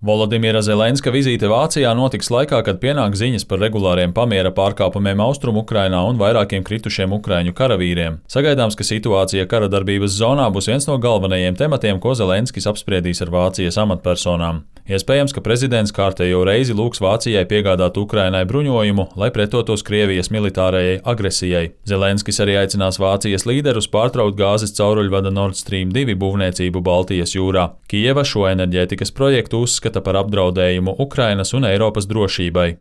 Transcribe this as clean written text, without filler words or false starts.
Volodimira Zelenska vizīte Vācijā notiks laikā, kad pienāk ziņas par regulāriem pamiera pārkāpumiem Austrumu-Ukrainā un vairākiem kritušiem ukraiņu karavīriem. Sagaidāms, ka situācija kara darbības zonā būs viens no galvenajiem tematiem, ko Zelenskis apspriedīs ar Vācijas amatpersonām. Iespējams, ka prezidents kārtējo reizi lūgs Vācijai piegādāt Ukrainai bruņojumu, lai pretotos Krievijas militārajai agresijai. Zelenskis arī aicinās Vācijas līderus pārtraukt gāzes cauruļvada Nord Stream 2 būvniecību Baltijas jūrā. Kijeva šo enerģētikas projektu uzskata par apdraudējumu Ukrainas un Eiropas drošībai.